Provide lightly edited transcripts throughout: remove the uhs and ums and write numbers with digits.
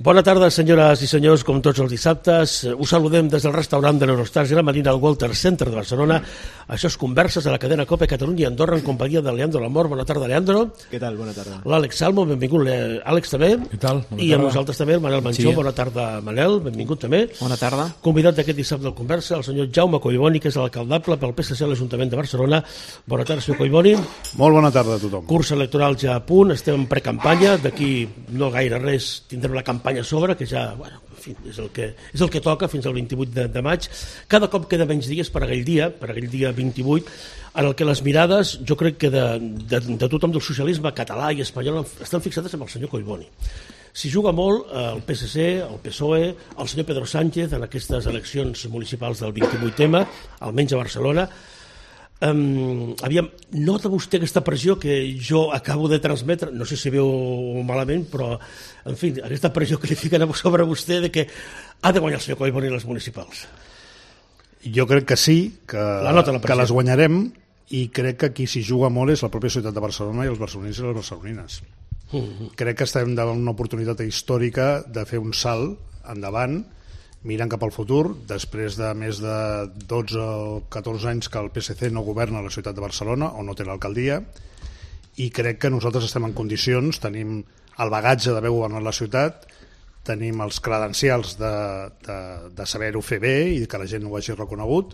Bona tarda, senyores i senyors, com tots els dissabtes. Us saludem des del restaurant de l'Eurostars i la Marina al Walter Center de Barcelona. Això és Converses a la cadena COPE Catalunya i Andorra en companyia de Leandro Lamor. Bona tarda, Leandro. Què tal? Bona tarda. L'Àlex Salmo, benvingut, Àlex, també. Què tal? Bona tarda. I amb nosaltres també el Manel Manchó. Sí. Bona tarda, Manel, benvingut també. Bona tarda. Convidat d'aquest dissabte del Conversa, el senyor Jaume Collboni, que és l'alcaldable pel PSC a l'Ajuntament de Barcelona. Bona tarda, senyor Collboni. Molt bona tarda a tothom. Curs electoral ja a punt, estem en precampanya, d'aquí no gaire res tindrem la campanya a sobre, que ja, bueno, en fi, és el que toca fins al 28 de maig. Cada cop queda menys dies per aquell dia 28, en el que les mirades, jo crec que de tothom del socialisme català i espanyol estan fixades amb el senyor Collboni. S'hi juga molt el PSC, el PSOE, el senyor Pedro Sánchez en aquestes eleccions municipals del 28M, almenys a Barcelona. Aviam, nota vostè aquesta pressió que jo acabo de transmetre, no sé si veu malament, però en fi, aquesta pressió que li fiquen sobre vostè de que ha de guanyar el senyor Collboni les municipals? Jo crec que sí, que les guanyarem, i crec que qui s'hi juga molt és la pròpia ciutat de Barcelona i els barcelonins i les barcelonines. Crec que estem davant una oportunitat històrica de fer un salt endavant mirant cap al futur, després de més de 12 o 14 anys que el PSC no governa a la ciutat de Barcelona o no té l'alcaldia, i crec que nosaltres estem en condicions, tenim el bagatge d'haver governat la ciutat, tenim els credencials de saber-ho fer bé i que la gent ho hagi reconegut,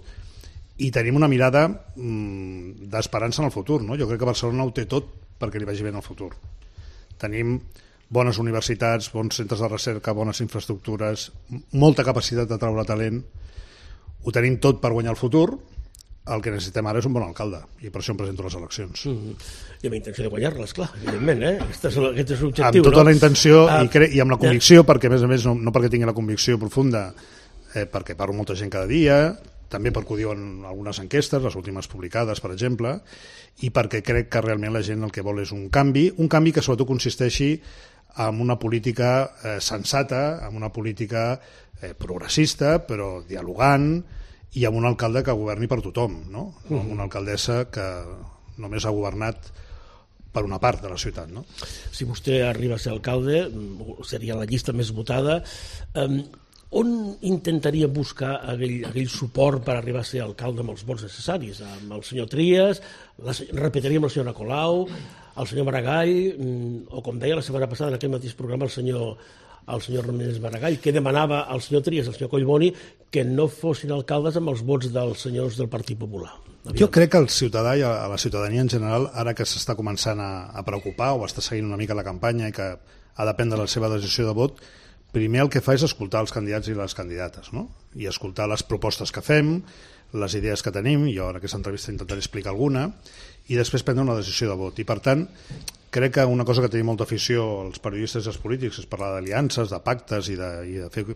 i tenim una mirada d'esperança en el futur, no? Jo crec que Barcelona ho té tot perquè li vagi bé en el futur. Tenim bones universitats, bons centres de recerca, bones infraestructures, molta capacitat de treure talent. Ho tenim tot per guanyar el futur. El que necessitem ara és un bon alcalde, i per això em presento a les eleccions. I amb intenció de guanyar-les, clar, evidentment, Aquest és l'objectiu, amb tota la intenció i amb la convicció, perquè a més no perquè tingui la convicció profunda, perquè parlo amb molta gent cada dia, també perquè ho diuen algunes enquestes, les últimes publicades, per exemple, i perquè crec que realment la gent el que vol és un canvi que sobretot consisteixi en una política sensata, en una política progressista, però dialogant, i amb un alcalde que governi per tothom, no? Amb una alcaldessa que només ha governat per una part de la ciutat, no? Si vostè arriba a ser alcalde, seria la llista més votada. On intentaria buscar aquell suport per arribar a ser alcalde amb els vots necessaris? Amb el senyor Trias, repetiria amb el senyor Nicolau, el senyor Maragall, o com deia la setmana passada en aquest mateix programa el senyor Ramírez Maragall, que demanava al senyor Trias i al senyor Collboni que no fossin alcaldes amb els vots dels senyors del Partit Popular. Jo crec que el ciutadà i a la ciutadania en general, ara que s'està començant a preocupar o està seguint una mica la campanya i que ha de prendre la seva decisió de vot, primer el que fa és escoltar els candidats i les candidates, no? I escoltar les propostes que fem, les idees que tenim, jo en aquesta entrevista intentaré explicar alguna, i després prendre una decisió de vot. I per tant, crec que una cosa que tenim molta afició els periodistes i els polítics és parlar d'aliances, de pactes i de fer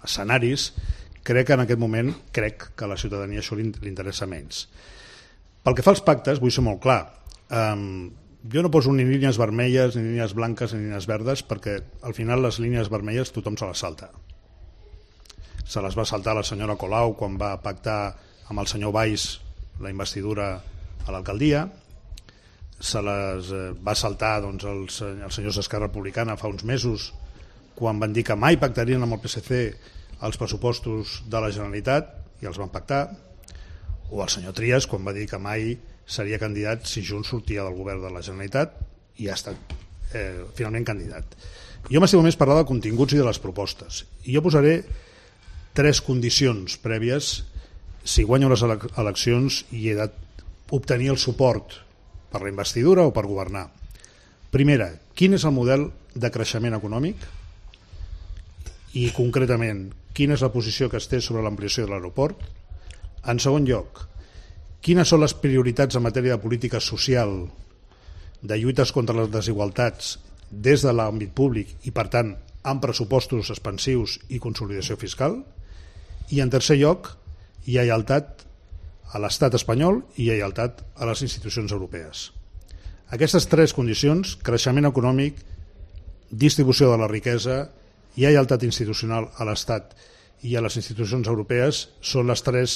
escenaris. Crec que en aquest moment que a la ciutadania això li interessa menys. Pel que fa als pactes, vull ser molt clar. Jo no poso ni línies vermelles, ni línies blanques, ni línies verdes, perquè al final les línies vermelles tothom se les salta. Se les va saltar la senyora Colau quan va pactar amb el senyor Valls la investidura a l'alcaldia, se les va saltar doncs, els senyors d'Esquerra Republicana fa uns mesos quan van dir que mai pactarien amb el PSC els pressupostos de la Generalitat i els van pactar, o el senyor Trias quan va dir que mai seria candidat si Junts sortia del govern de la Generalitat i ha estat finalment candidat. Jo m'estimo més parlar de continguts i de les propostes, i jo posaré 3 condicions prèvies si guanyo les eleccions i he d'obtenir el suport per la investidura o per governar. Primera, quin és el model de creixement econòmic i concretament quina és la posició que es té sobre l'ampliació de l'aeroport. En segon lloc, quines són les prioritats en matèria de política social, de lluites contra les desigualtats des de l'àmbit públic i, per tant, amb pressupostos expansius i consolidació fiscal. I, en tercer lloc, lleialtat a l'estat espanyol i lleialtat a les institucions europees. Aquestes 3 condicions, creixement econòmic, distribució de la riquesa, lleialtat institucional a l'estat i a les institucions europees, són les 3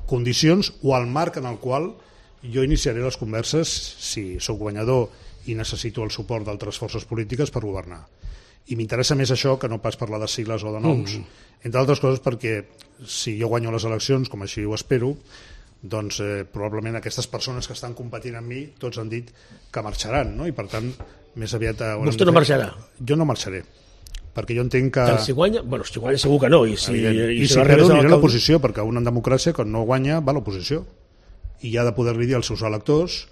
condicions o el marc en el qual jo iniciaré les converses si sóc guanyador i necessito el suport d'altres forces polítiques per governar. I m'interessa més això que no pas parlar de sigles o de noms. Entre altres coses perquè si jo guanyo les eleccions, com així ho espero, doncs probablement aquestes persones que estan competint amb mi tots han dit que marxaran, no? I per tant més aviat... Vostè no marxarà? Jo no marxaré, perquè jo entenc que... Si guanya? Bueno, si guanya segur que no. I si perdo aniré a l'oposició, perquè una en democràcia quan no guanya va a l'oposició i ha de poder-li dir als seus electors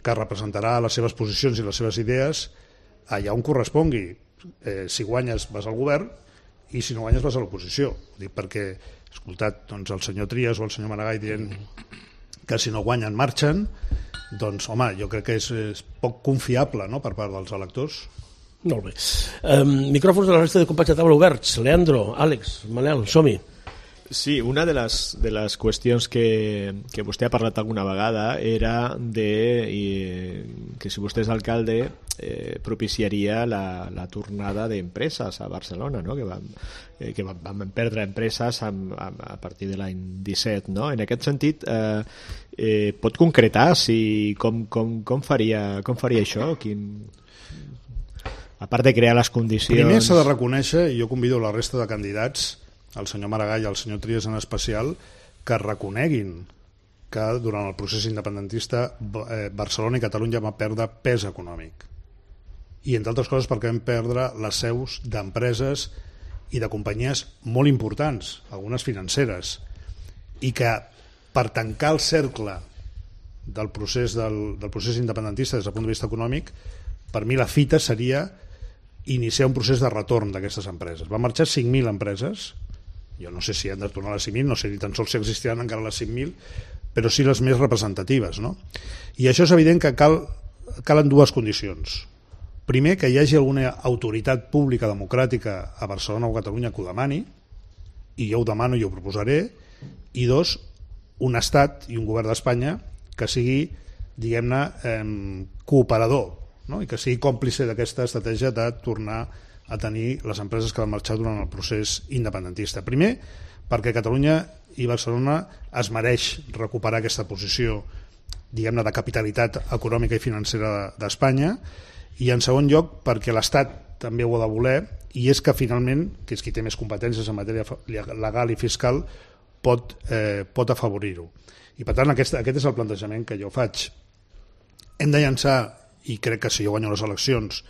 que representarà les seves posicions i les seves idees allà on correspongui. Si guanyes vas al govern i si no guanyes vas a l'oposició. Ho dic perquè he escoltat doncs, el senyor Trias o el senyor Maragall dient que si no guanyen marxen, doncs home, jo crec que és poc confiable, no?, per part dels electors. Molt bé. Micròfons de la resta de companys de taula oberts. Leandro, Àlex, Manel, som-hi. Sí, una de les qüestions que vostè ha parlat alguna vegada era que si vostè és alcalde propiciaria la tornada d'empreses a Barcelona, no? que vam perdre empreses a partir de l'any 17. No? En aquest sentit, pot concretar com faria això? A part de crear les condicions... Primer s'ha de reconèixer, i jo convido la resta de candidats, el senyor Maragall i el senyor Trias en especial, que reconeguin que durant el procés independentista Barcelona i Catalunya van perdre pes econòmic. I entre altres coses perquè vam perdre les seus d'empreses i de companyies molt importants, algunes financeres, i que per tancar el cercle del procés independentista des del punt de vista econòmic, per mi la fita seria iniciar un procés de retorn d'aquestes empreses. Van marxar 5.000 empreses, jo no sé si han de tornar a les 5.000, no sé ni tan sols si existiran encara les 5.000, però sí les més representatives, no? I això és evident que calen dues condicions. Primer, que hi hagi alguna autoritat pública democràtica a Barcelona o a Catalunya que ho demani, i jo ho demano i ho proposaré, i dos, un estat i un govern d'Espanya que sigui, diguem-ne, cooperador, no? I que sigui còmplice d'aquesta estratègia de tornar a tenir les empreses que van marxar durant el procés independentista. Primer, perquè Catalunya i Barcelona es mereix recuperar aquesta posició, diguem-ne, de capitalitat econòmica i financera d'Espanya, i en segon lloc perquè l'Estat també ho ha de voler, i és que finalment, que és qui té més competències en matèria legal i fiscal, pot afavorir-ho. I per tant aquest és el plantejament que jo faig. Hem de llançar, i crec que si jo guanyo les eleccions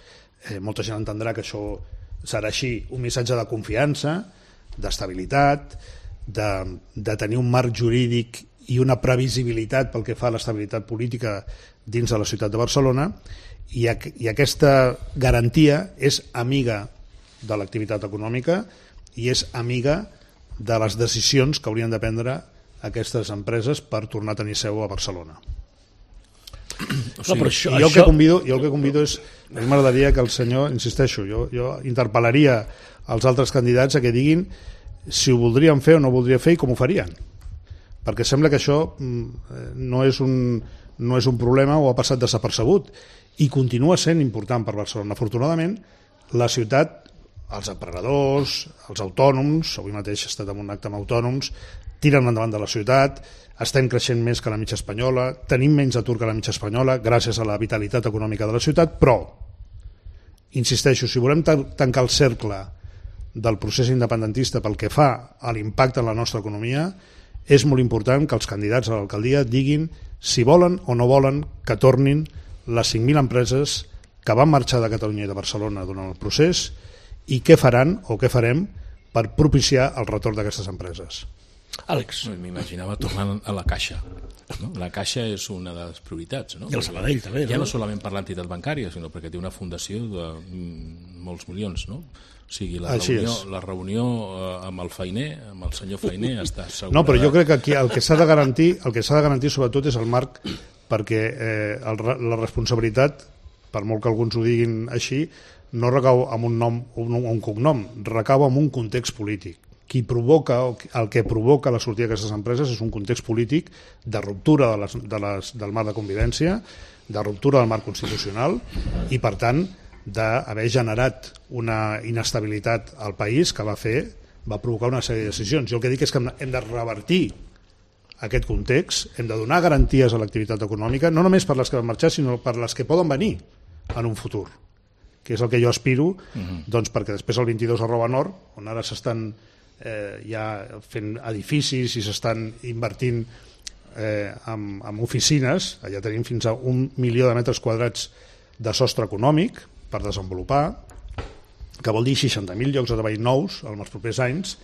molta gent entendrà que això serà així, un missatge de confiança, d'estabilitat, de tenir un marc jurídic i una previsibilitat pel que fa a l'estabilitat política dins de la ciutat de Barcelona, i aquesta garantia és amiga de l'activitat econòmica i és amiga de les decisions que haurien de prendre aquestes empreses per tornar a tenir seu a Barcelona. O sigui, jo el que convido és, a mi m'agradaria que el senyor, insisteixo, jo interpel·laria als altres candidats a que diguin si ho voldrien fer o no ho voldrien fer i com ho farien, perquè sembla que això no és un problema o ha passat desapercebut i continua sent important per Barcelona. Afortunadament la ciutat, els emprenedors, els autònoms, avui mateix he estat en un acte amb autònoms, tiren endavant de la ciutat, estem creixent més que la mitja espanyola, tenim menys atur que la mitja espanyola gràcies a la vitalitat econòmica de la ciutat, però, insisteixo, si volem tancar el cercle del procés independentista pel que fa a l'impacte en la nostra economia, és molt important que els candidats a l'alcaldia diguin si volen o no volen que tornin les 5.000 empreses que van marxar de Catalunya i de Barcelona durant el procés i què faran o què farem per propiciar el retorn d'aquestes empreses. Àlex. M'imaginava tornant a la Caixa. No? La Caixa és una de les prioritats. No? I el Sabadell també. Ja no solament per l'entitat bancària, sinó perquè té una fundació de molts milions. No? O sigui, la reunió amb el Fainé, amb el senyor Fainé, està assegurada. No, però jo crec que aquí el que s'ha de garantir sobretot és el marc, perquè la responsabilitat, per molt que alguns ho diguin així, no recau en un nom o un cognom, recau en un context polític. El que provoca la sortida d'aquestes empreses és un context polític de ruptura del marc de convivència, de ruptura del marc constitucional i, per tant, d'haver generat una inestabilitat al país que va provocar una sèrie de decisions. Jo el que dic és que hem de revertir aquest context, hem de donar garanties a l'activitat econòmica, no només per les que van marxar, sinó per les que poden venir en un futur. que és el que jo aspiro, doncs perquè després el 22@Nord, on ara s'estan ja fent edificis i s'estan invertint en oficines, allà tenim fins a 1 milió de metres quadrats de sostre econòmic per desenvolupar, que vol dir 60.000 llocs de treball nous en els propers anys,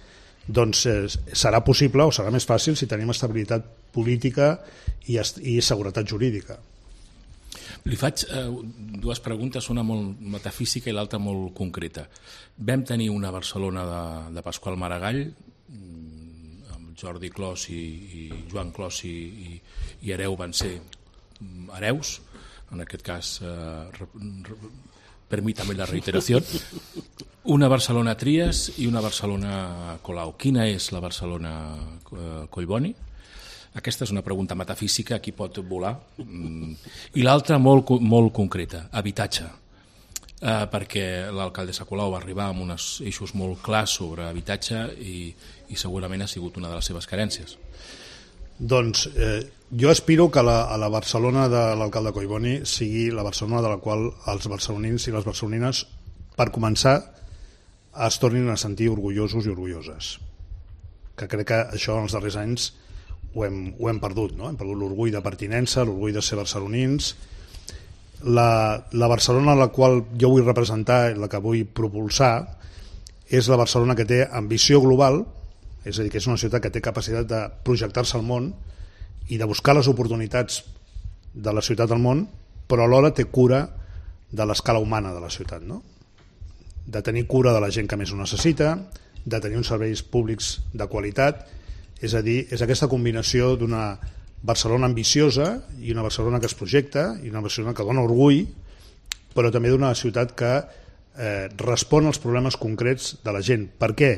doncs serà possible o serà més fàcil si tenim estabilitat política i seguretat jurídica. Li faig dues preguntes, una molt metafísica i l'altra molt concreta. Vam tenir una Barcelona de Pasqual Maragall, amb Jordi Clos i Joan Clos i Hereu van ser hereus, en aquest cas, permítame la reiteració, una Barcelona Trias i una Barcelona Colau. Quina és la Barcelona Collboni? Aquesta és una pregunta metafísica, aquí pot volar. I l'altra molt concreta, habitatge. Perquè l'alcaldessa Colau va arribar amb uns eixos molt clars sobre habitatge i segurament ha sigut una de les seves carències. Doncs jo aspiro que la Barcelona de l'alcalde Collboni sigui la Barcelona de la qual els barcelonins i les barcelonines, per començar, es tornin a sentir orgullosos i orgulloses. Que crec que això en els darrers anys ho hem perdut, no? Hem perdut l'orgull de pertinença, l'orgull de ser barcelonins. La Barcelona a la qual jo vull representar, la que vull propulsar, és la Barcelona que té ambició global, és a dir, que és una ciutat que té capacitat de projectar-se al món i de buscar les oportunitats de la ciutat al món, però alhora té cura de l'escala humana de la ciutat, no? De tenir cura de la gent que més ho necessita, de tenir uns serveis públics de qualitat. És a dir, és aquesta combinació d'una Barcelona ambiciosa i una Barcelona que es projecta i una Barcelona que dona orgull, però també d'una ciutat que respon als problemes concrets de la gent. Per què?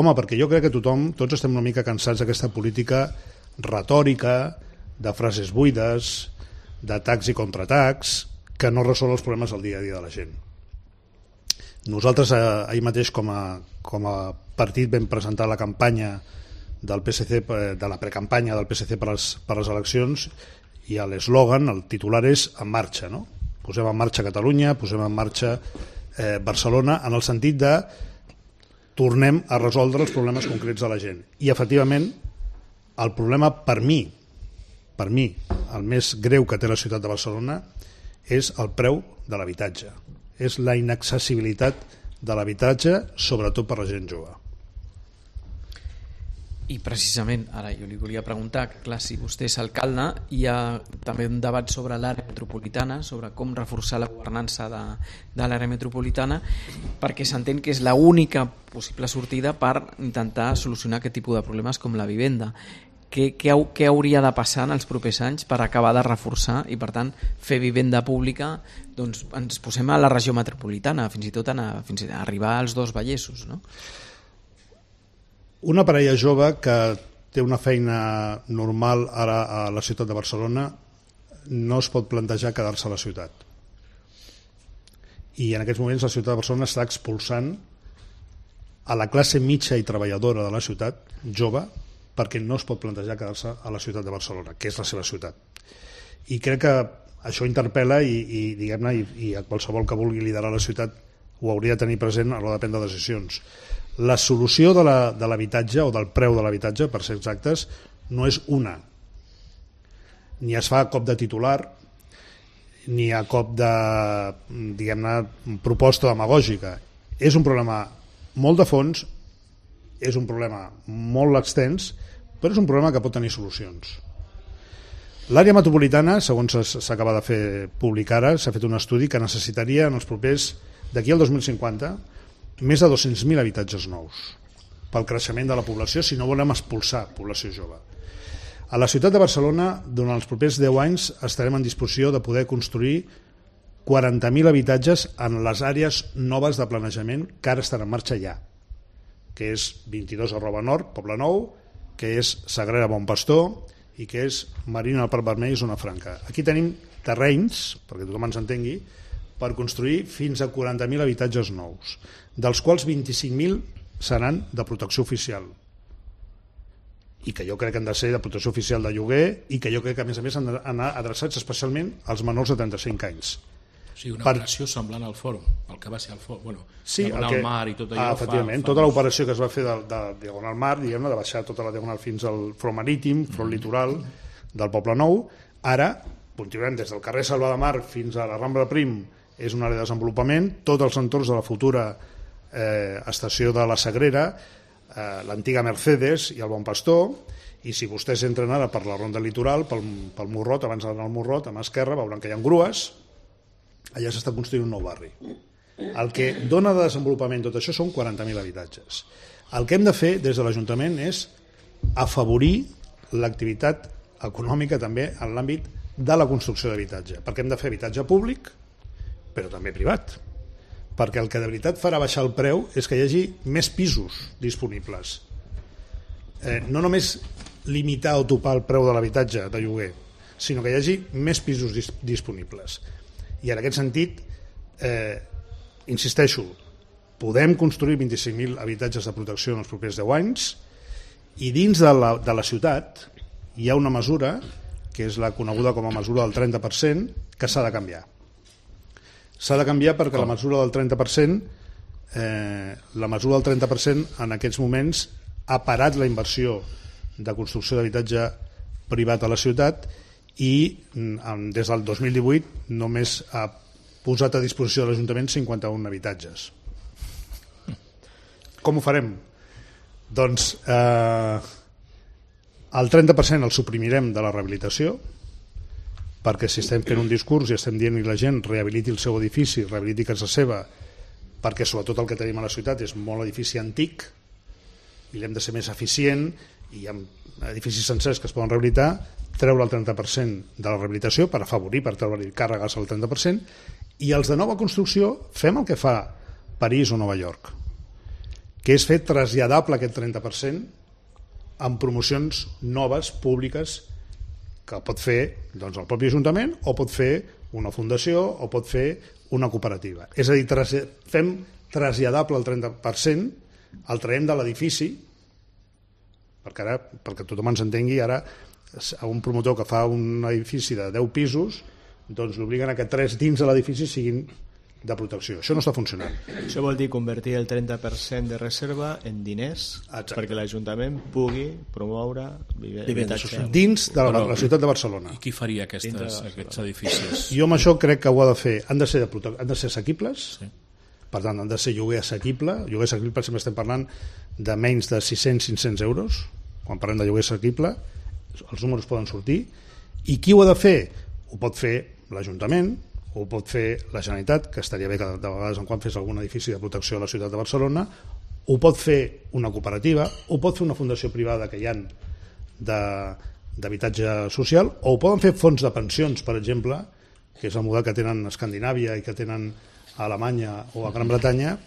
Home, perquè jo crec que tots estem una mica cansats d'aquesta política retòrica, de frases buides, d'atacs i contraatacs, que no resol els problemes del dia a dia de la gent. Nosaltres ahir mateix com a partit vam presentar la campanya del PSC, de la precampanya del PSC per les eleccions, i l'eslògan, el titular és En marxa, no? Posem en marxa Catalunya, posem en marxa Barcelona, en el sentit de tornem a resoldre els problemes concrets de la gent. I efectivament el problema per mi el més greu que té la ciutat de Barcelona és el preu de l'habitatge, és la inaccessibilitat de l'habitatge, sobretot per la gent jove. I precisament, ara jo li volia preguntar, que clar, si vostè és alcalde, hi ha també un debat sobre l'àrea metropolitana, sobre com reforçar la governança de l'àrea metropolitana, perquè s'entén que és l'única possible sortida per intentar solucionar aquest tipus de problemes com la vivenda. Què hauria de passar en els propers anys per acabar de reforçar i, per tant, fer vivenda pública? Doncs ens posem a la regió metropolitana, fins i tot fins a arribar als dos Vallesos, no? Una parella jove que té una feina normal ara a la ciutat de Barcelona no es pot plantejar quedar-se a la ciutat. I en aquests moments la ciutat de Barcelona està expulsant a la classe mitja i treballadora de la ciutat, jove, perquè no es pot plantejar quedar-se a la ciutat de Barcelona, que és la seva ciutat. I crec que això interpel·la i diguem-ne, i a qualsevol que vulgui liderar la ciutat ho hauria de tenir present a l'hora de prendre decisions. La solució de l'habitatge o del preu de l'habitatge, per ser exactes, no és una. Ni es fa a cop de titular, ni a cop de, diguem-ne, proposta demagògica. És un problema molt de fons, és un problema molt extens, però és un problema que pot tenir solucions. L'àrea metropolitana, segons s'acaba de fer públic ara, s'ha fet un estudi que necessitaria en els propers, d'aquí al 2050, més de 200.000 habitatges nous pel creixement de la població, si no volem expulsar població jove. A la ciutat de Barcelona, durant els propers 10 anys, estarem en disposició de poder construir 40.000 habitatges en les àrees noves de planejament que ara estan en marxa ja, que és 22@Nord, Poble Nou, que és Sagrera Bon Pastor i que és Marina al Parc Vermell i Zona Franca. Aquí tenim terrenys, perquè tothom ens entengui, per construir fins a 40.000 habitatges nous, dels quals 25.000 seran de protecció oficial, i que jo crec que han de ser de protecció oficial de lloguer, i que jo crec que a més han d'anar adreçats especialment als menors de 35 anys. sigui, una operació semblant al fòrum, el que va ser el fòrum, bueno, sí, Diagonal Mar i tot allò. Efectivament, tota l'operació que es va fer de Diagonal Mar, diguem-ne, de baixar tota la Diagonal fins al front marítim, front litoral del Poble Nou, ara continuem des del carrer Salva de Mar fins a la Rambla Prim, és una àrea de desenvolupament, tots els entorns de la futura estació de la Sagrera, l'antiga Mercedes i el Bon Pastor, i si vostès entren ara per la ronda litoral, pel Morrot, abans d'anar al Morrot, a mà esquerra, veuran que hi ha grues, allà s'està construint un nou barri. El que dona de desenvolupament tot això són 40.000 habitatges. El que hem de fer des de l'Ajuntament és afavorir l'activitat econòmica també en l'àmbit de la construcció d'habitatge, perquè hem de fer habitatge públic, però també privat, perquè el que de veritat farà baixar el preu és que hi hagi més pisos disponibles. No només limitar o topar el preu de l'habitatge de lloguer, sinó que hi hagi més pisos disponibles. I en aquest sentit, insisteixo, podem construir 25.000 habitatges de protecció en els propers 10 anys, i dins de la ciutat hi ha una mesura, que és la coneguda com a mesura del 30%, que s'ha de canviar. S'ha de canviar perquè la mesura del 30%, en aquests moments ha parat la inversió de construcció d'habitatge privat a la ciutat i des del 2018 només ha posat a disposició de l'Ajuntament 51 habitatges. Com ho farem? Doncs el 30% el suprimirem de la rehabilitació, perquè si estem fent un discurs i estem dient que la gent rehabiliti el seu edifici, rehabiliti casa seva, perquè sobretot el que tenim a la ciutat és molt edifici antic i l'hem de ser més eficient, i hi ha edificis sencers que es poden rehabilitar, treure el 30% de la rehabilitació per afavorir, per treure càrregues al 30%, i els de nova construcció fem el que fa París o Nova York, que és fer traslladable aquest 30% en promocions noves, públiques, que pot fer doncs, el propi Ajuntament, o pot fer una fundació, o pot fer una cooperativa. És a dir, fem traslladable el 30%, el traiem de l'edifici, perquè tothom ens entengui, ara a un promotor que fa un edifici de 10 pisos, doncs l'obliguen a que 3 dins de l'edifici siguin de protecció. Això no està funcionant. Això vol dir convertir el 30% de reserva en diners. Exacte. Perquè l'Ajuntament pugui promoure habitatge dins de la ciutat de Barcelona. I qui faria aquests edificis? Jo amb això crec que ho ha de fer. Han de ser assequibles, sí. Per tant, han de ser lloguer assequible. Lloguer assequible sempre estem parlant de menys de 600-500 euros. Quan parlem de lloguer assequible, els números poden sortir. I qui ho ha de fer? Ho pot fer l'Ajuntament, ho pot fer la Generalitat, que estaria bé que de vegades en quan fes algun edifici de protecció a la ciutat de Barcelona, ho pot fer una cooperativa, ho pot fer una fundació privada que hi ha d'habitatge social, o ho poden fer fons de pensions, per exemple, que és el model que tenen a Escandinàvia i que tenen a Alemanya o a Gran Bretanya,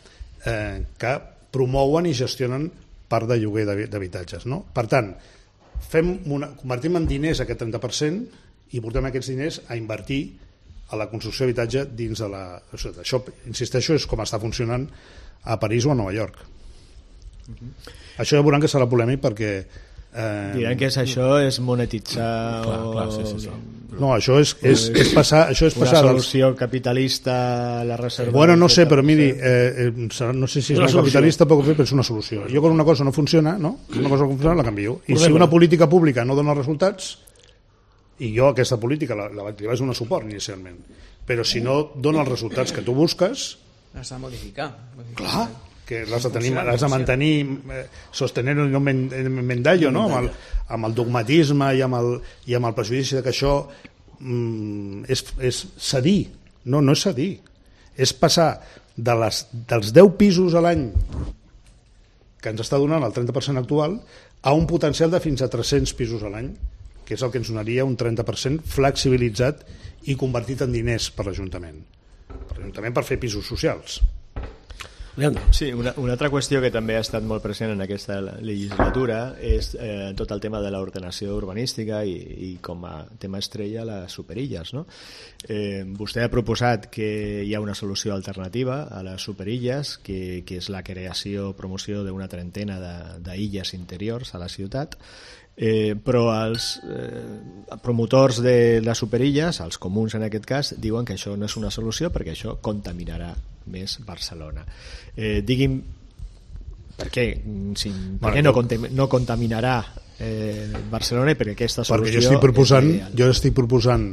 que promouen i gestionen part de lloguer d'habitatges. No? Per tant, convertim en diners aquest 30% i portem aquests diners a invertir a la construcció d'habitatge dins de la ciutat. Això, insisteixo, és com està funcionant a París o a Nova York. Això ja veuran que serà polèmic perquè diran que això és monetitzar sí. No, això és passar una solució capitalista a la reserva. Bueno, no sé, però miri, no sé si és una capitalista però és una solució. Jo quan una cosa no funciona, no? Una cosa no funciona la canvio. I si una política pública no dona resultats, i jo aquesta política li vaig donar suport inicialment, però si no dona els resultats que tu busques, has de modificar. Clar, que l'has de mantenir, sostener-ho i no mendallo, no? Amb el dogmatisme i amb el prejudici que això és cedir. No és cedir, és passar dels 10 pisos a l'any que ens està donant el 30% actual a un potencial de fins a 300 pisos a l'any, que és el que ens donaria un 30% flexibilitzat i convertit en diners per l'Ajuntament. Per l'Ajuntament per fer pisos socials. Sí, una altra qüestió que també ha estat molt present en aquesta legislatura és tot el tema de l'ordenació urbanística i com a tema estrella les superilles, no? Vostè ha proposat que hi ha una solució alternativa a les superilles, que és la creació o promoció d'una trentena d'illes interiors a la ciutat. Però els promotors de les superilles, els comuns en aquest cas, diuen que això no és una solució perquè això contaminarà més Barcelona. Digui'm, per què no contaminarà Barcelona i perquè aquesta solució... Perquè jo estic proposant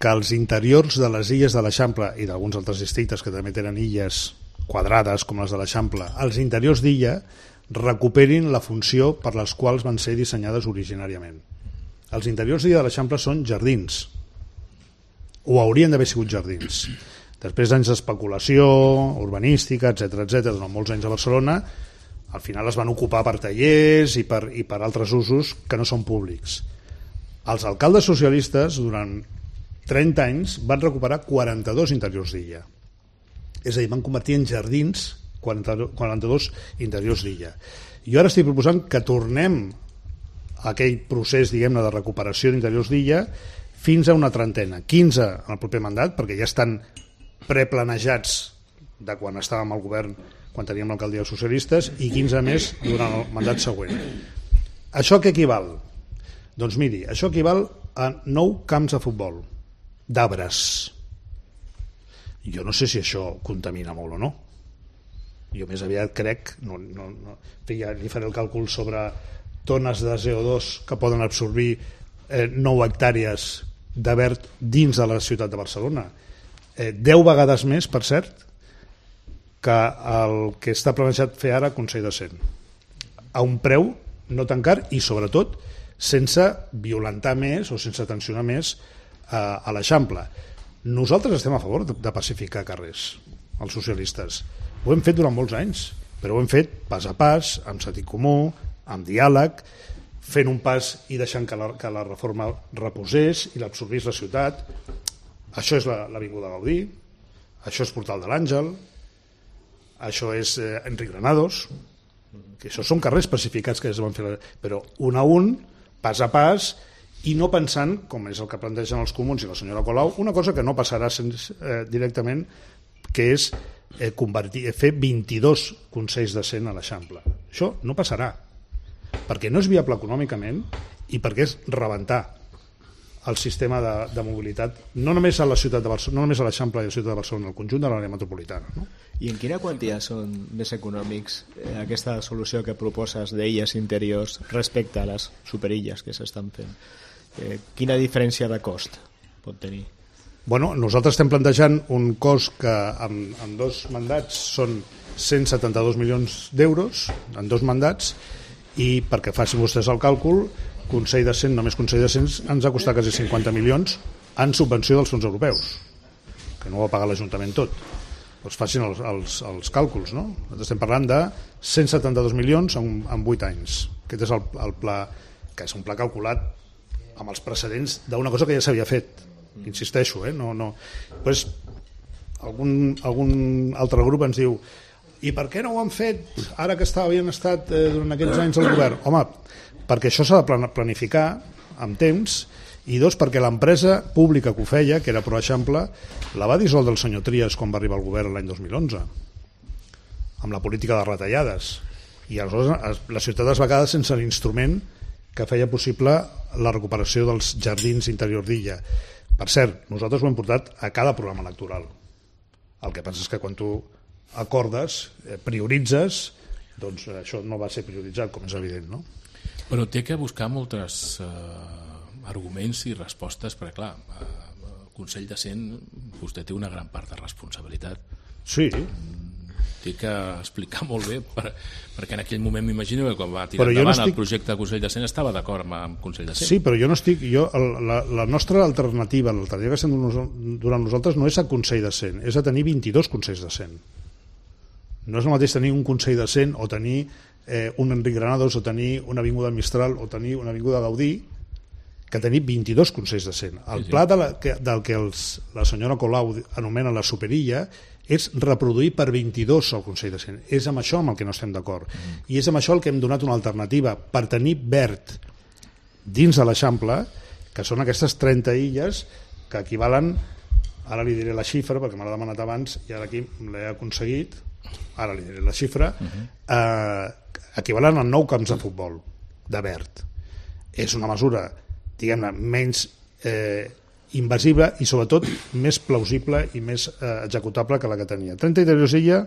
que els interiors de les illes de l'Eixample i d'alguns altres districtes que també tenen illes quadrades com les de l'Eixample, els interiors d'illa recuperin la funció per les quals van ser dissenyades originàriament. Els interiors d'illa de l'Eixample són jardins, o haurien d'haver sigut jardins. Després d'anys d'especulació urbanística, etc durant molts anys a Barcelona, al final es van ocupar per tallers i per altres usos que no són públics. Els alcaldes socialistes durant 30 anys van recuperar 42 interiors d'illa. És a dir, van convertir en jardins 42 interiors d'illa. Jo ara estic proposant que tornem a aquell procés, diguem-ne, de recuperació d'interiors d'illa fins a una trentena, 15 en el proper mandat, perquè ja estan preplanejats de quan estàvem al govern, quan teníem l'alcaldia dels socialistes, i 15 més durant el mandat següent. Això què equival? Doncs miri, això equival a 9 camps de futbol, d'arbres. Jo no sé si això contamina molt o no. Jo més aviat crec, ja li faré el càlcul sobre tones de CO2 que poden absorbir 9 hectàrees de verd dins de la ciutat de Barcelona. 10 vegades més, per cert, que el que està planejat fer ara Consell de Cent. A un preu no tan car i, sobretot, sense violentar més o sense tensionar més a l'Eixample. Nosaltres estem a favor de pacificar carrers, els socialistes. Ho hem fet durant molts anys, però ho hem fet pas a pas, amb sentit comú, amb diàleg, fent un pas i deixant que la reforma reposés i l'absorbís la ciutat. Això és l'Avinguda Gaudí, això és Portal de l'Àngel, això és Enric Granados, que això són carrers pacificats que es van fer, però un a un, pas a pas, i no pensant, com és el que plantegen els comuns i la senyora Colau, una cosa que no passarà directament, que és fer 22 consells de Cent a l'Eixample. Això no passarà, perquè no és viable econòmicament i perquè és rebentar el sistema de mobilitat, no només a la ciutat de Barcelona, no només a l'Eixample i a la ciutat de Barcelona, el conjunt de l'àrea metropolitana. No? I en quina quantia són més econòmics aquesta solució que proposes d'illes interiors respecte a les superilles que s'estan fent? Quina diferència de cost pot tenir? Bueno, nosaltres estem plantejant un cost que en 2 mandats són 172 milions d'euros, en 2 mandats, i perquè facin vostès el càlcul, Consell de Cent, només Consell de Cent, ens ha costat quasi 50 milions en subvenció dels fons europeus, que no ho ha pagat l'Ajuntament tot. Doncs facin els càlculs, no? Nosaltres estem parlant de 172 milions en 8 anys. Aquest és el pla, que és un pla calculat amb els precedents d'una cosa que ja s'havia fet, insisteixo, no. Pues, algun altre grup ens diu i per què no ho han fet ara que havien estat durant aquests anys al govern? Home, perquè això s'ha de planificar amb temps, i 2, perquè l'empresa pública que ho feia, que era ProExample, la va dissoldre el senyor Trias quan va arribar al govern l'any 2011 amb la política de retallades, i aleshores la ciutat es va quedar sense l'instrument que feia possible la recuperació dels jardins interior d'illa. Per cert, nosaltres ho hem portat a cada programa electoral. El que passa és que quan tu acordes, prioritzes, doncs això no va ser prioritzat, com és evident, no? Però té que buscar moltes arguments i respostes, perquè clar, el Consell de Cent, vostè té una gran part de responsabilitat. Sí. Té que explicar molt bé, perquè en aquell moment m'imagino que quan va tirar endavant el projecte de Consell de Cent estava d'acord amb el Consell de Cent. Sí, però jo no estic... La nostra alternativa, l'alternativa que estem durant nosaltres no és a Consell de Cent, és a tenir 22 Consells de Cent. No és el mateix tenir un Consell de Cent o tenir un Enric Granados o tenir una Avinguda Mistral o tenir una Avinguda Gaudí que tenir 22 Consells de Cent. El pla del que la senyora Colau anomena la superilla és reproduir per 22 el Consell de Cent. És amb això amb el que no estem d'acord. I és amb això el que hem donat una alternativa per tenir verd dins de l'Eixample, que són aquestes 30 illes que equivalen, ara li diré la xifra perquè me l'ha demanat abans i ara aquí l'he aconseguit, ara li diré la xifra, equivalen a 9 camps de futbol de verd. és una mesura, diguem-ne, menys invasiva i sobretot més plausible i més executable que la que tenia. 30 interiors d'illa,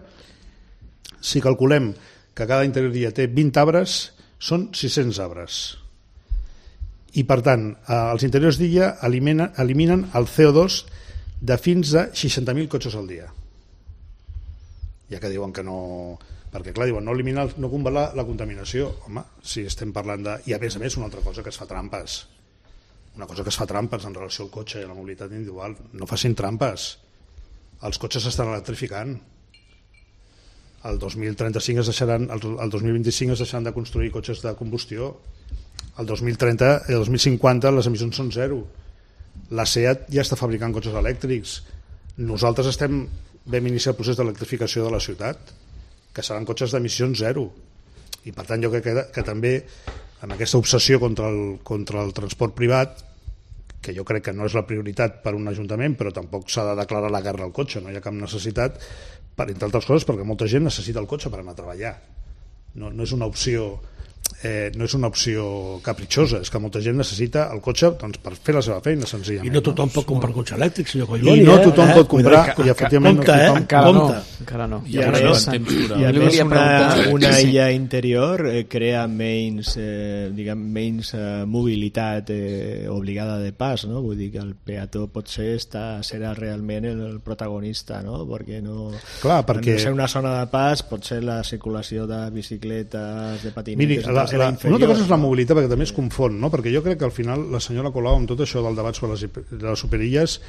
si calculem que cada interior d'illa té 20 arbres, són 600 arbres. I per tant, els interiors d'illa eliminen el CO2 de fins a 60.000 cotxes al dia. Ja que diuen que no... Perquè, clar, diuen, no combatar la contaminació. Home, si estem parlant de... I a més, una altra cosa que es fa trampes. Una cosa que es fa trampes en relació al cotxe i a la mobilitat individual. No facin trampes. Els cotxes s'estan electrificant. El 2035 el 2025 es deixaran de construir cotxes de combustió. El 2030 i el 2050 les emissions són zero. La SEAT ja està fabricant cotxes elèctrics. Nosaltres vam iniciar el procés d'electrificació de la ciutat, que seran cotxes d'emissions zero. I per tant jo crec que també en aquesta obsessió contra el transport privat, que jo crec que no és la prioritat per un ajuntament, però tampoc s'ha de declarar la guerra al cotxe, no hi ha cap necessitat, entre altres coses perquè molta gent necessita el cotxe per anar a treballar. No és una opció capritxosa, és que molta gent necessita el cotxe doncs, per fer la seva feina, senzillament. I no tothom pot comprar un cotxe elèctric, senyor Collboni. I no tothom pot comprar, i efectivament encara no. I a més una illa interior crea menys mobilitat obligada de pas, no? Vull dir que el peató potser serà realment el protagonista, no? Perquè no... Clar, perquè... En ser una zona de pas pot ser la circulació de bicicletes, de patinetes... Miri, una altra cosa és la mobilitat, perquè també es confon, no? Perquè jo crec que al final la senyora Colau, amb tot això del debat sobre les superilles,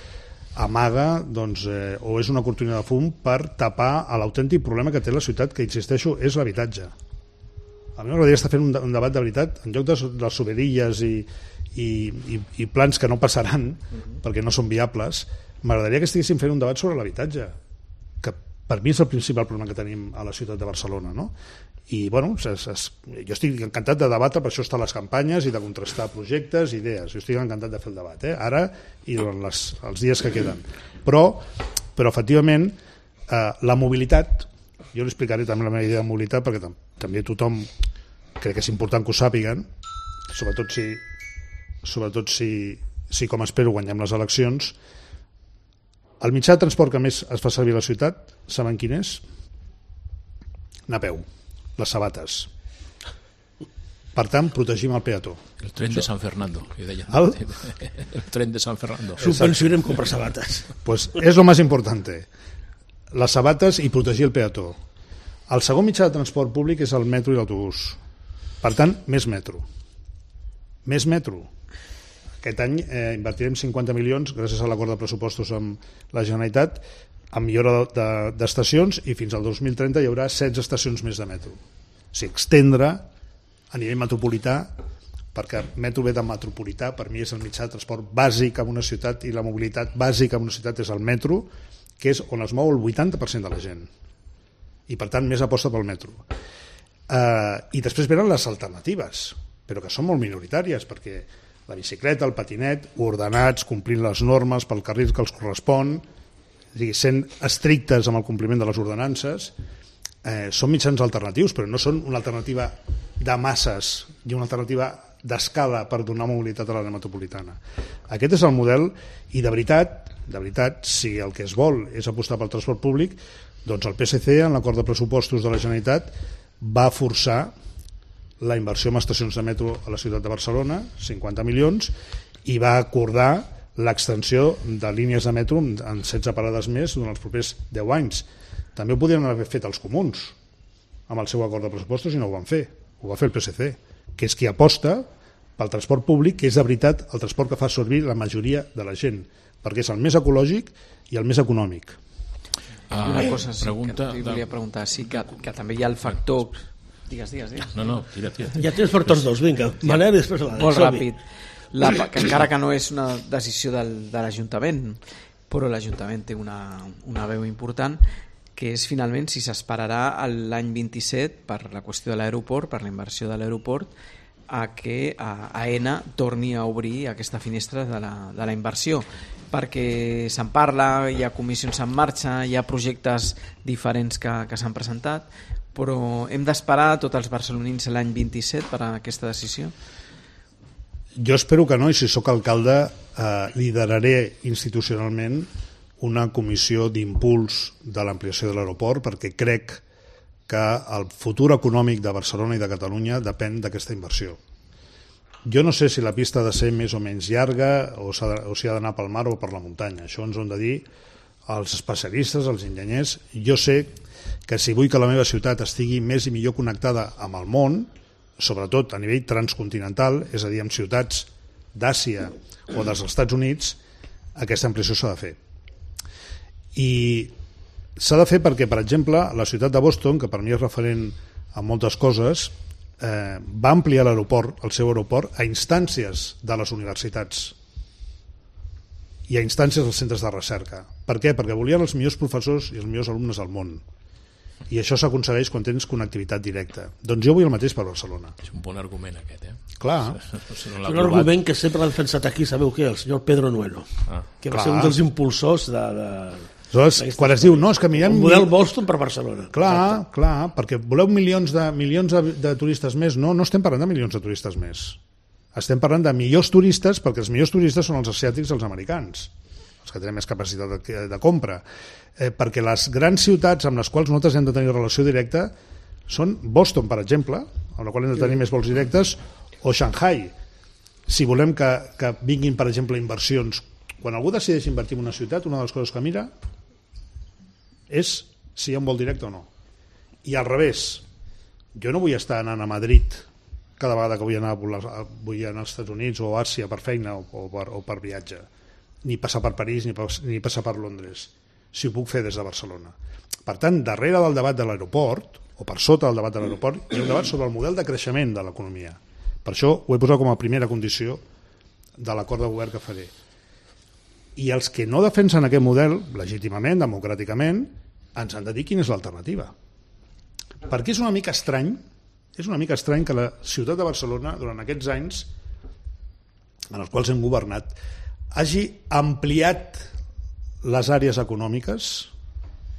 amaga o és una cortina de fum per tapar l'autèntic problema que té la ciutat, que insisteixo, és l'habitatge. A mi m'agradaria estar fent un debat de veritat en lloc de les superilles i plans que no passaran perquè no són viables. M'agradaria que estiguéssim fent un debat sobre l'habitatge, que per mi és el principal problema que tenim a la ciutat de Barcelona, no? I bueno, jo estic encantat de debatre, per això estan les campanyes i de contrastar projectes, idees, jo estic encantat de fer el debat, ara i durant els dies que queden, però efectivament la mobilitat, jo li explicaré també la meva idea de mobilitat perquè també tothom crec que és important que ho sàpiguen, sobretot si com espero guanyem les eleccions. El mitjà de transport que més es fa servir a la ciutat, saben quin és? Anar a peu, les sabates. Per tant, protegim el peató. El tren de San Fernando, que deia. El tren de San Fernando. Subvencionem comprar sabates. Pues és lo más importante. Les sabates i protegir el peató. El segon mitjà de transport públic és el metro i l'autobús. Per tant, més metro. Més metro. Aquest any invertirem 50 milions, gràcies a l'acord de pressupostos amb la Generalitat, en millora d'estacions, i fins al 2030 hi haurà 16 estacions més de metro. O sigui, extendre a nivell metropolità, perquè metro ve de metropolità, per mi és el mitjà de transport bàsic en una ciutat, i la mobilitat bàsica en una ciutat és el metro, que és on es mou el 80% de la gent. I per tant, més aposta pel metro. I després venen les alternatives, però que són molt minoritàries, perquè la bicicleta, el patinet, ordenats, complint les normes pel carril que els correspon, sent estrictes amb el compliment de les ordenances, són mitjans alternatius, però no són una alternativa de masses i una alternativa d'escala per donar mobilitat a l'àrea metropolitana. Aquest és el model, i de veritat, si el que es vol és apostar pel transport públic, doncs el PSC, en l'acord de pressupostos de la Generalitat, va forçar la inversió en estacions de metro a la ciutat de Barcelona, 50 milions, i va acordar l'extensió de línies de metro en 16 parades més durant els propers 10 anys. També ho podien haver fet els comuns amb el seu acord de pressupostos, i no ho van fer. Ho va fer el PSC, que és qui aposta pel transport públic, que és de veritat el transport que fa servir la majoria de la gent, perquè és el més ecològic i el més econòmic. Una cosa que volia preguntar, sí que també hi ha el factor... Digues. No, tira. Ja tens per tots dos, vinga. Manel, després molt ràpid. Que encara que no és una decisió de l'Ajuntament, però l'Ajuntament té una veu important, que és finalment si s'esperarà l'any 27 per la qüestió de l'aeroport, per la inversió de l'aeroport, a que AENA torni a obrir aquesta finestra de la inversió, perquè se'n parla, hi ha comissions en marxa, hi ha projectes diferents que s'han presentat, però hem d'esperar tots els barcelonins l'any 27 per a aquesta decisió? Jo espero que no, i si sóc alcalde lideraré institucionalment una comissió d'impuls de l'ampliació de l'aeroport, perquè crec que el futur econòmic de Barcelona i de Catalunya depèn d'aquesta inversió. Jo no sé si la pista ha de ser més o menys llarga o si ha d'anar pel mar o per la muntanya. Això ens ho han de dir els especialistes, els enginyers. Jo sé que si vull que la meva ciutat estigui més i millor connectada amb el món, sobretot a nivell transcontinental, és a dir, amb ciutats d'Àsia o dels Estats Units, aquesta ampliació s'ha de fer. I s'ha de fer perquè, per exemple, la ciutat de Boston, que per mi és referent a moltes coses, va ampliar l'aeroport, el seu aeroport, a instàncies de les universitats i a instàncies dels centres de recerca. Per què? Perquè volien els millors professors i els millors alumnes del món. I això s'aconsegueix quan tens connectivitat directa. Doncs jo vull el mateix per Barcelona. És un bon argument aquest, Clar. Un argument que sempre l'ha defensat aquí, sabeu què? El senyor Pedro Nueno, que va ser un dels impulsors de... Aleshores, quan es diu, no, és que mirem... El model Boston per Barcelona. Clar, perquè voleu milions de turistes més. No estem parlant de milions de turistes més. Estem parlant de millors turistes, perquè els millors turistes són els asiàtics i els americans, els que tenen més capacitat de compra. Perquè les grans ciutats amb les quals nosaltres hem de tenir relació directa són Boston, per exemple, amb la qual hem de tenir més vols directes, o Shanghai. Si volem que vinguin, per exemple, inversions, quan algú decideix invertir en una ciutat, una de les coses que mira és si hi ha un vol directe o no. I al revés, jo no vull estar anant a Madrid cada vegada que vull anar als Estats Units o a Àsia per feina o per viatge, ni passar per París ni passar per Londres, si ho puc fer des de Barcelona. Per tant, darrere del debat de l'aeroport, o per sota del debat de l'aeroport, hi ha un debat sobre el model de creixement de l'economia. Per això ho he posat com a primera condició de l'acord de govern que faré. I els que no defensen aquest model, legítimament, democràticament, ens han de dir quina és l'alternativa. Perquè és una mica estrany que la ciutat de Barcelona, durant aquests anys en els quals hem governat, hagi ampliat les àrees econòmiques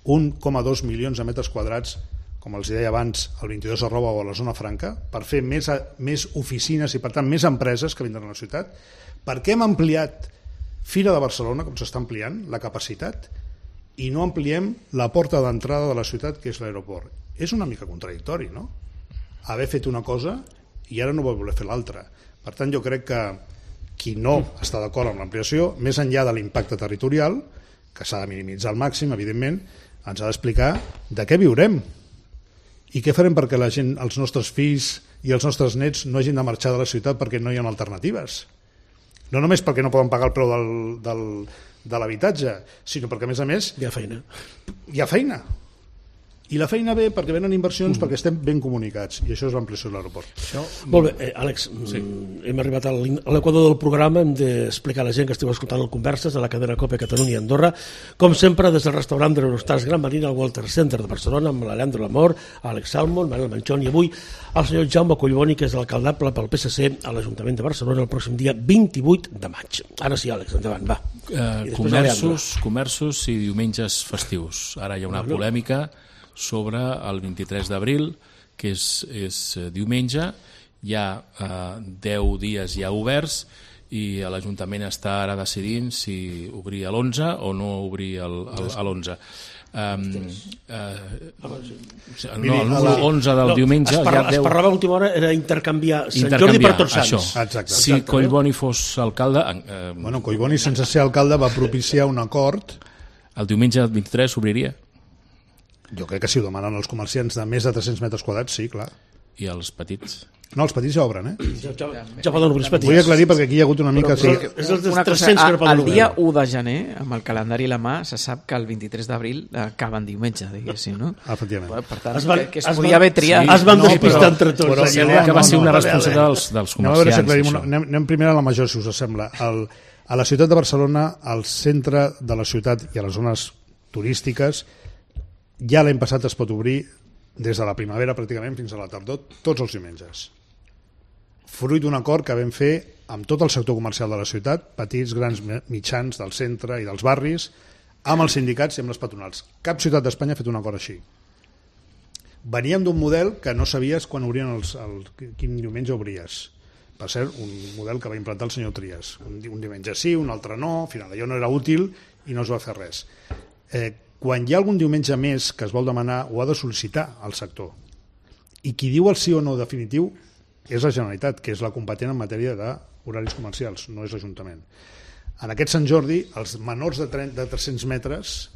1,2 milions de metres quadrats, com els deia abans, al 22 arroba o a la zona franca, per fer més oficines i, per tant, més empreses que vindran a la ciutat. Per què hem ampliat Fira de Barcelona, com s'està ampliant, la capacitat, i no ampliem la porta d'entrada de la ciutat, que és l'aeroport? És una mica contradictori, no? Haver fet una cosa i ara no vol voler fer l'altra. Per tant, jo crec que qui no està d'acord amb l'ampliació, més enllà de l'impacte territorial, que s'ha de minimitzar al màxim, evidentment, ens ha d'explicar de què viurem i què farem perquè la gent, els nostres fills i els nostres nets no hagin de marxar de la ciutat perquè no hi ha alternatives. No només perquè no poden pagar el preu de l'habitatge, sinó perquè, a més, hi ha feina. Hi ha feina. I la feina ve perquè venen inversions, perquè estem ben comunicats, i això és l'ampliació de l'aeroport. Molt bé, Àlex, hem arribat a l'equador del programa, hem d'explicar a la gent que esteu escoltant el Converses de la cadena COPE Catalunya i Andorra, com sempre des del restaurant de l'Eurostars Gran Marina al Walter Center de Barcelona, amb l'Aleandro Lamor, Àlex Salmon, Manel Manchón i avui el senyor Jaume Collboni, que és l'alcaldable pel PSC a l'Ajuntament de Barcelona el pròxim dia 28 de maig. Ara sí, Àlex, endavant, va. Comerços i diumenges festius. Ara hi ha una polèmica sobre el 23 d'abril, que és diumenge. Hi ha 10 dies ja oberts i l'Ajuntament està ara decidint si obrir a l'11 o no obrir a l'11. No, el número 11 del diumenge... Es parlava a l'última hora, era intercanviar Sant Jordi per Tots Sants. Exacte. Si Collboni fos alcalde... Collboni, sense ser alcalde, va propiciar un acord. El diumenge 23 s'obriria? Jo crec que si ho demanen els comerciants de més de 300 metres quadrats, sí, clar. I els petits? No, els petits ja obren, Ja poden obrir els petits. Vull aclarir perquè aquí hi ha hagut una mica... És els 300 que no poden obrir. El dia 1 de gener, amb el calendari a la mà, se sap que el 23 d'abril acaba en diumenge, diguéssim, no? Efectivament. Per tant, que es podia haver triat. Es van despistar entre tots. Que va ser una responsabilitat dels comerciants. Anem primer a la major, si us sembla. A la ciutat de Barcelona, al centre de la ciutat i a les zones turístiques, ja l'any passat es pot obrir des de la primavera pràcticament fins a la tardor, tots els diumenges. Fruit d'un acord que vam fer amb tot el sector comercial de la ciutat, petits, grans, mitjans, del centre i dels barris, amb els sindicats i amb les patronals. Cap ciutat d'Espanya ha fet un acord així. Veníem d'un model que no sabies quan obrien quin diumenge obries. Per cert, un model que va implantar el senyor Trias. Un diumenge sí, un altre no, al final allò no era útil i no es va fer res. Quan hi ha algun diumenge més que es vol demanar, ho ha de sol·licitar al sector. I qui diu el sí o no definitiu és la Generalitat, que és la competent en matèria d'horaris comercials, no és l'Ajuntament. En aquest Sant Jordi, els menors de 300 metres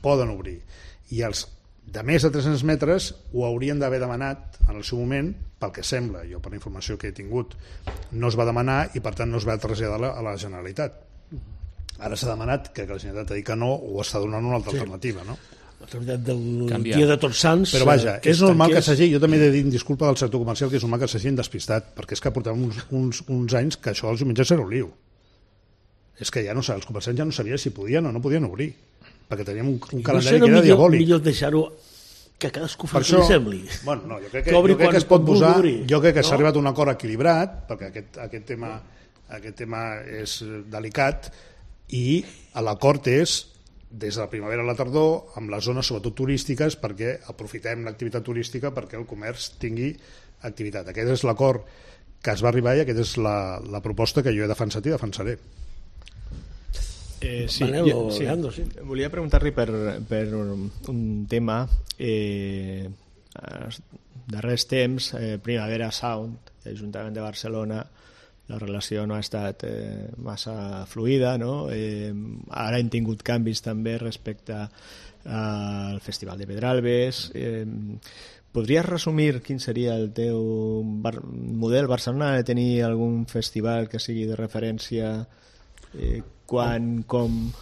poden obrir, i els de més de 300 metres ho haurien d'haver demanat en el seu moment, pel que sembla, jo per la informació que he tingut, no es va demanar i per tant no es va traslladar a la Generalitat. Ara s'ha demanat que la Generalitat ha dit que no, o està donant una altra alternativa, no? L'autoritat del dia de Tots Sants... Però vaja, és normal que s'hagi... Jo també he de dir disculpa del sector comercial, que és normal que s'hagin despistat, perquè és que portàvem uns anys que això dels diumenges era un liu. És que ja no els comerciants ja no sabien si podien o no podien obrir, perquè teníem un calendari que era diabòlic. Millor deixar-ho que cadascú fa el que li sembli. Bueno, no, jo crec que es pot posar... Jo crec que s'ha arribat a un acord equilibrat, perquè aquest tema és delicat, i l'acord és des de la primavera a la tardor, amb les zones sobretot turístiques, perquè aprofitem l'activitat turística perquè el comerç tingui activitat. Aquest és l'acord que es va arribar i aquesta és la proposta que jo he defensat i defensaré. Sí. Volia preguntar-li per un tema. Darrers temps, Primavera Sound, Ajuntament de Barcelona, la relació no ha estat massa fluida, no? Ara hem tingut canvis també respecte al Festival de Pedralbes. Podries resumir quin seria el teu model? Barcelona ha de tenir algun festival que sigui de referència? Quan, com...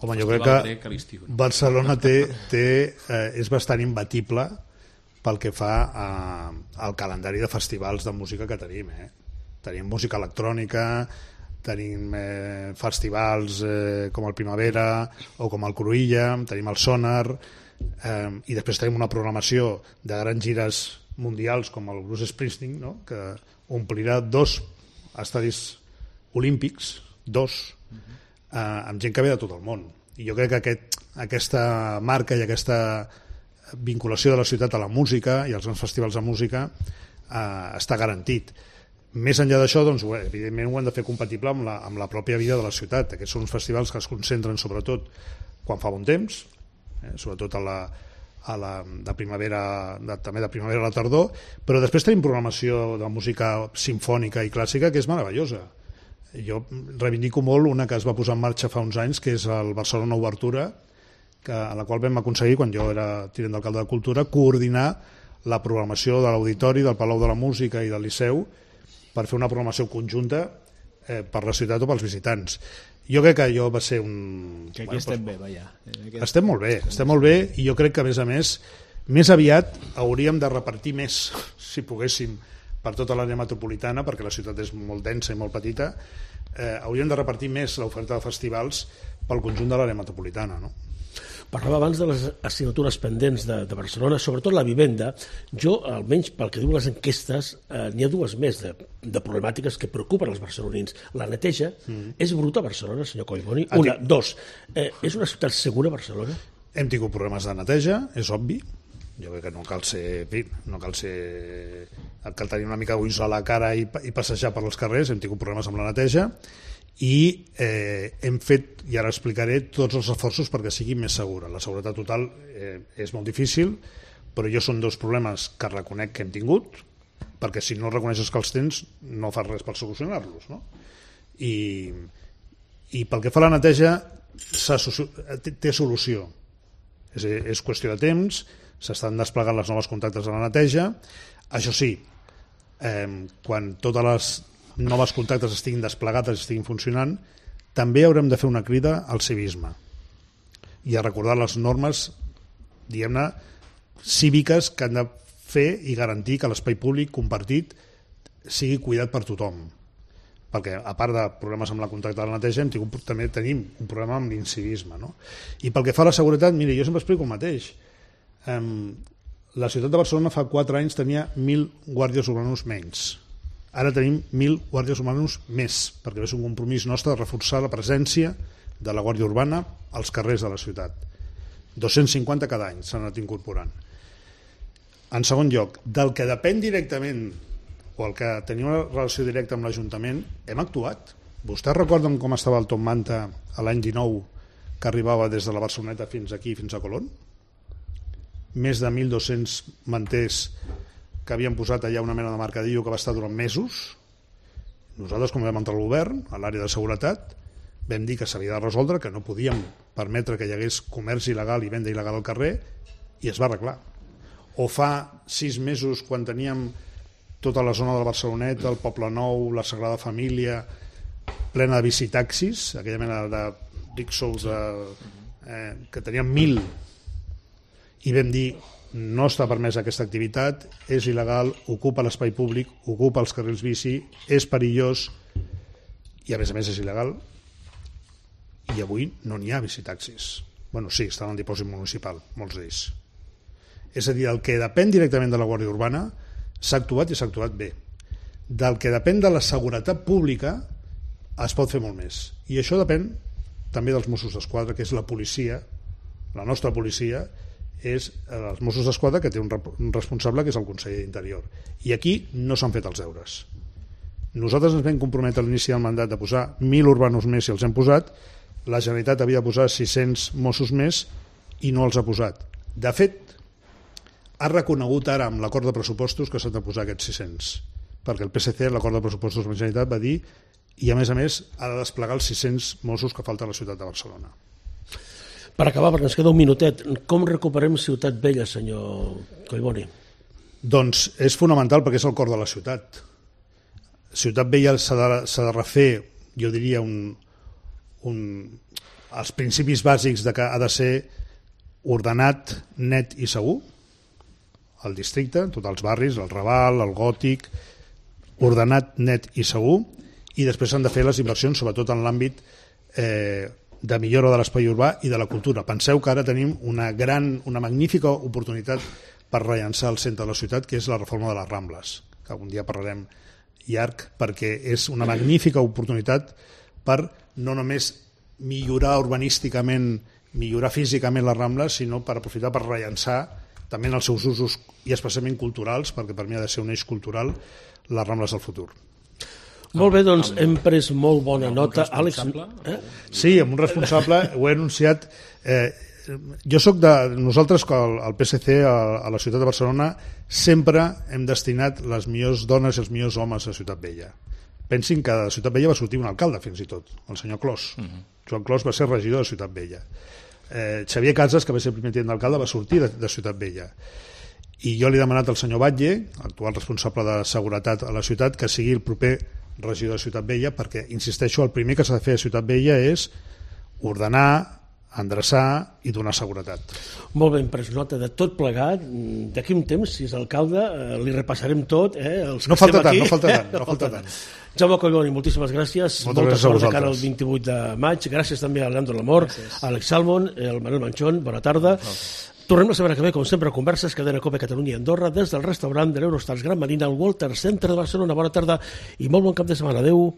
Home, jo crec que Barcelona és bastant imbatible pel que fa al calendari de festivals de música que tenim, Tenim música electrònica, tenim festivals com el Primavera o com el Cruïlla, tenim el Sonar, i després tenim una programació de grans gires mundials com el Bruce Springsteen, no? Que omplirà 2 estadis olímpics, 2, amb gent que ve de tot el món. I jo crec que aquesta marca i aquesta vinculació de la ciutat a la música i als grans festivals de música està garantit. Més enllà d'això, doncs, evidentment ho hem de fer compatible amb la pròpia vida de la ciutat. Aquests són uns festivals que es concentren sobretot quan fa bon temps, sobretot de primavera, també de primavera a la tardor, però després tenim programació de música simfònica i clàssica que és meravellosa. Jo reivindico molt una que es va posar en marxa fa uns anys, que és el Barcelona Obertura, a la qual vam aconseguir, quan jo era tinent d'alcalde de Cultura, coordinar la programació de l'Auditori, del Palau de la Música i del Liceu, per fer una programació conjunta per la ciutat o pels visitants. Jo crec que allò va ser un... Que aquí estem bé, vaja. Estem molt bé, i jo crec que, a més, més aviat hauríem de repartir més, si poguéssim, per tota l'àrea metropolitana, perquè la ciutat és molt densa i molt petita, hauríem de repartir més l'oferta de festivals pel conjunt de l'àrea metropolitana, no? Parlava abans de les assignatures pendents de Barcelona, sobretot la vivenda. Jo, almenys pel que diuen les enquestes, n'hi ha 2 més de problemàtiques que preocupen els barcelonins. La neteja és bruta a Barcelona, senyor Collboni? 1, 2, és una ciutat segura Barcelona? Hem tingut problemes de neteja, és obvi. Jo crec que no cal tenir una mica ulls a la cara i passejar per els carrers. Hem tingut problemes amb la neteja i hem fet, i ara explicaré, tots els esforços perquè sigui més segura. La seguretat total és molt difícil, però jo són 2 problemes que reconec que hem tingut, perquè si no reconeixes que els tens no fas res per solucionar-los, no? I pel que fa a la neteja té solució, és qüestió de temps, s'estan desplegant les noves contactes de la neteja. Això sí, quan totes les noves contactes estiguin desplegades i estiguin funcionant, també haurem de fer una crida al civisme i a recordar les normes, diguem-ne, cíviques que han de fer i garantir que l'espai públic compartit sigui cuidat per tothom, perquè a part de problemes amb la contacte de la neteja també tenim un problema amb l'incivisme, no? I pel que fa a la seguretat, mire, jo sempre explico el mateix. La ciutat de Barcelona fa 4 anys tenia 1.000 guàrdies urbanos menys. Ara tenim 1.000 guàrdies urbanos més, perquè és un compromís nostre de reforçar la presència de la Guàrdia Urbana als carrers de la ciutat. 250 cada any s'han anat incorporant. En segon lloc, del que depèn directament o el que tenia una relació directa amb l'Ajuntament, hem actuat. Vostès recorden com estava el Top Manta l'any 19, que arribava des de la Barceloneta fins aquí, fins a Colón? Més de 1.200 manters que havien posat allà una mena de mercadillo que va estar durant mesos. Nosaltres, com vam entrar al govern, a l'àrea de seguretat, vam dir que s'havia de resoldre, que no podíem permetre que hi hagués comerç il·legal i venda il·legal al carrer, i es va arreglar. O fa 6 mesos, quan teníem tota la zona de la Barceloneta, el Poble Nou, la Sagrada Família, plena de bicitaxis, aquella mena de rickshaws que teníem 1.000, i vam dir no està permesa aquesta activitat, és il·legal, ocupa l'espai públic, ocupa els carrils bici, és perillós i a més és il·legal, i avui no n'hi ha bicitaxis. Bueno, sí, estan al dipòsit municipal, molts d'ells. És a dir, el que depèn directament de la Guàrdia Urbana s'ha actuat i s'ha actuat bé. Del que depèn de la seguretat pública es pot fer molt més. I això depèn també dels Mossos d'Esquadra, que és la policia, la nostra policia, és els Mossos d'Esquadra, que té un responsable, que és el conseller d'Interior. I aquí no s'han fet els deures. Nosaltres ens vam comprometre a l'inici del mandat de posar 1.000 urbanos més i els hem posat. La Generalitat havia de posar 600 Mossos més i no els ha posat. De fet, ha reconegut ara amb l'acord de pressupostos que s'han de posar aquests 600, perquè el PSC, l'acord de pressupostos de la Generalitat, va dir, i a més ha de desplegar els 600 Mossos que falten a la ciutat de Barcelona. Per acabar, perquè ens queda un minutet, com recuperem Ciutat Vella, senyor Collboni? Doncs és fonamental perquè és el cor de la ciutat. Ciutat Vella s'ha de refer, jo diria, els principis bàsics de que ha de ser ordenat, net i segur, el districte, tots els barris, el Raval, el Gòtic, ordenat, net i segur, i després s'han de fer les inversions, sobretot en l'àmbit de millora de l'espai urbà i de la cultura. Penseu que ara tenim una magnífica oportunitat per rellançar el centre de la ciutat, que és la reforma de les Rambles, que algun dia parlarem llarg, perquè és una magnífica oportunitat per no només millorar urbanísticament, millorar físicament les Rambles, sinó per aprofitar per rellançar també en els seus usos i especialment culturals, perquè per mi ha de ser un eix cultural, les Rambles del futur. Molt bé, doncs hem pres molt bona nota. Àlex, Sí, amb un responsable, ho he anunciat. Jo soc nosaltres, al PSC, a la ciutat de Barcelona, sempre hem destinat les millors dones i els millors homes a Ciutat Vella. Pensin que de Ciutat Vella va sortir un alcalde, fins i tot, el senyor Clos. Joan Clos va ser regidor de Ciutat Vella. Xavier Casas, que va ser el primer tinent d'alcalde, va sortir de Ciutat Vella. I jo li he demanat al senyor Batlle, actual responsable de seguretat a la ciutat, que sigui el proper regidor de Ciutat Vella, perquè, insisteixo, el primer que s'ha de fer a Ciutat Vella és ordenar, endreçar i donar seguretat. Molt bé, hem pres nota de tot plegat. D'aquí un temps, si és alcalde, li repassarem tot. No falta tant. Jaume Collboni, moltíssimes gràcies. Molta sort de cara al 28 de maig. Gràcies també a Leandro Lamor, a Àlex Salmon, al Manuel Manchón. Bona tarda. Tornem la setmana que ve, com sempre, a Converses, Cadena Cope Catalunya i Andorra, des del restaurant de l'Eurostars Gran Marina, al Walter Center de Barcelona. Bona tarda i molt bon cap de setmana. Adéu.